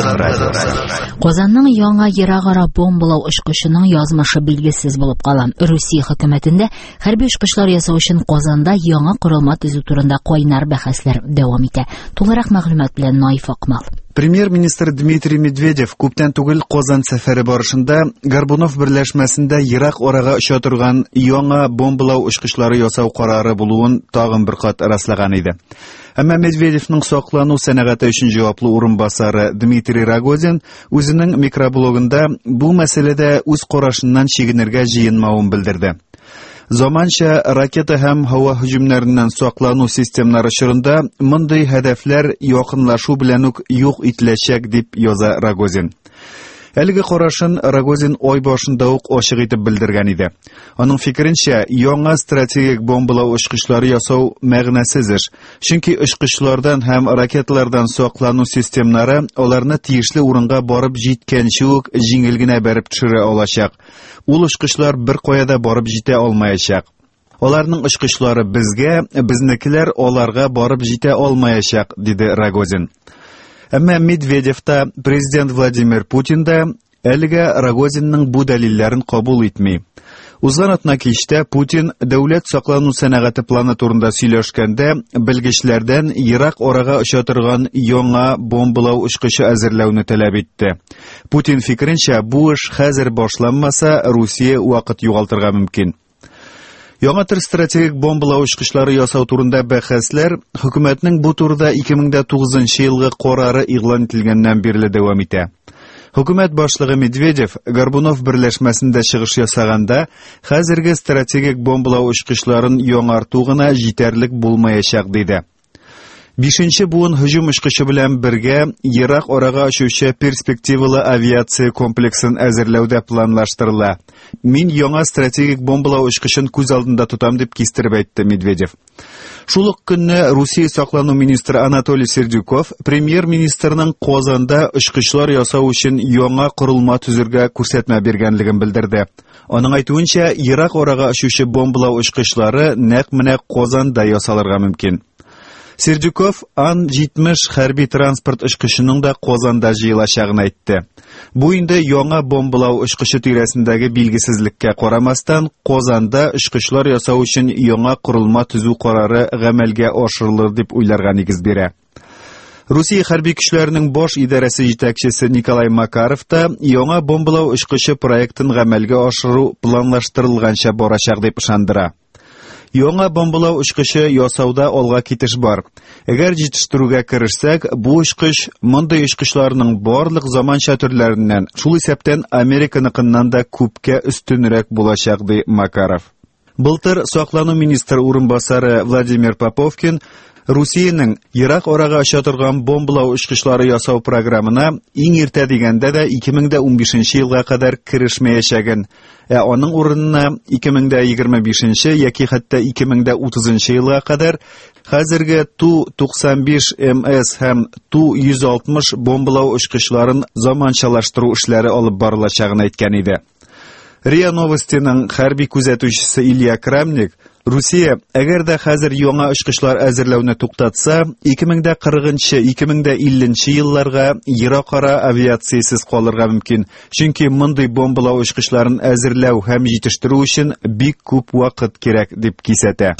Азатлык радиосы. Казанның яңа ерак-ара бомбалау очкычының язмышы билгесез булып кала. Русия хөкүмәтендә хәрби очкычлар ясау өчен Казанда яңа корылма төзү турында кайнар бәхәсләр дәвам итә. Тулырак мәгълүмат белән Наиф Акмал. Премьер-министр Дмитрий Медведев күптән түгел Казан сәфәре барышында Горбунов берләшмәсендә ерак арага оча торган яңа бомбалау очкычлары ясау карары булуын тагын бер кат раслаган иде. Әмма Медведевның саклану сәнәгате өчен җаваплы урынбасары Дмитрий Рогозин үзенең микроблогында бу мәсьәләдә үз карашыннан чигенергә җыенмавын белдерде. Заманча ракета һәм һава һөҗүмнәреннән саклану системнары чорында мондый һәдәфләр якынлашу белән үк юк ителәчәк, дип яза Рогозин. Әлеге карашын Рогозин ай башында ук ачык итеп белдергән иде. Аның фикеренчә, яңа стратегик бомбалау очкычлары ясау мәгънәсез эш, чөнки очкычлардан һәм ракеталардан саклану системнары аларны тиешле урынга барып җиткәнче үк җиңел генә бәреп төшерә алачак. Ул очкычлар беркая да барып җитә алмаячак. Аларның очкычлары безгә, безнекеләр аларга барып җитә алмаячак, диде Рогозин. Әмма Медведев та, президент Владимир Путин да әлегә Рогозинның бу дәлилләрен кабул итми. Узган атна кичтә Путин дәүләт саклану сәнәгате планы турында сөйләшкәндә белгечләрдән ерак арага оча торган яңа бомбалау очкычы әзерләүне таләп итте. Путин фикеренчә, бу эш хәзер башланмаса, Русия вакыт югалтырга мөмкин. Яңа төр стратегик бомбалау очкычлары ясау турында бәхәсләр хөкүмәтнең бу турыда 2009 елгы карары игълан ителгәннән бирле дәвам итә. Хөкүмәт башлыгы Медведев Горбунов берләшмәсендә чыгыш ясаганда, хәзерге стратегик бомбалау очкычларын яңарту гына җитәрлек булмаячак диде. Бишенче буын һөҗүм очкычы белән бергә ерак арага очучы перспективалы авиация комплексын әзерләү дә планлаштырыла. Мин яңа стратегик бомбалау очкычын күз алдында тотам, дип кистереп әйтте Медведев. Шул ук көнне Русия саклану министры Анатолий Сердюков премьер-министрның Казанда очкычлар ясау өчен яңа корылма төзергә күрсәтмә биргәнлеген белдерде. Аның әйтүенчә, ерак арага очучы бомбалау очкычлары нәкъ менә Казанда ясалырга мөмкин. Сердюков Ан-70 хәрби транспорт очкычының да Казанда җыелачагын әйтте. Бу инде яңа бомбалау очкычы тирәсендәге билгесезлеккә карамастан, Казанда очкычлар ясау өчен яңа корылма төзү карары гамәлгә ашырылыр дип уйларга нигез бирә. Русия хәрби көчләренең баш идарәсе җитәкчесе Николай Макаров та яңа бомбалау очкычы проектын гамәлгә ашыру планлаштырылганча барачак дип ышандыра. Яңа бомбалау очкычы ясауда алга китеш бар. Әгәр җитештерүгә керешсәк, бу очкыч мондый очкычларның барлык заманча төрләреннән, шул исәптән Американыкыннан да күпкә өстенрәк булачак, ди Макаров. Былтыр саклану министры урынбасары Владимир Поповкин Русиянең ерак арага оча торган бомбалау очкычлары ясау програмына иң иртә дигәндә дә 2015 елга кадәр керешмәячәген, ә аның урынына 2025 яки хәтта 2030 елга кадәр хәзерге Ту-95 МС һәм Ту-160 бомбалау очкычларын заманчалаштыру эшләре алып барылачагын әйткән иде. РИА Новостиның хәрби күзәтүчесе Илья Крамник, Русия, әгәр дә хәзер яңа очкычлар әзерләүне туктатса, 2040-2050 елларга еракара авиациясез калырга мөмкин, чөнки мондый бомбалау очкычларын әзерләү һәм җитештерү өчен бик күп вакыт кирәк, дип кисәтә.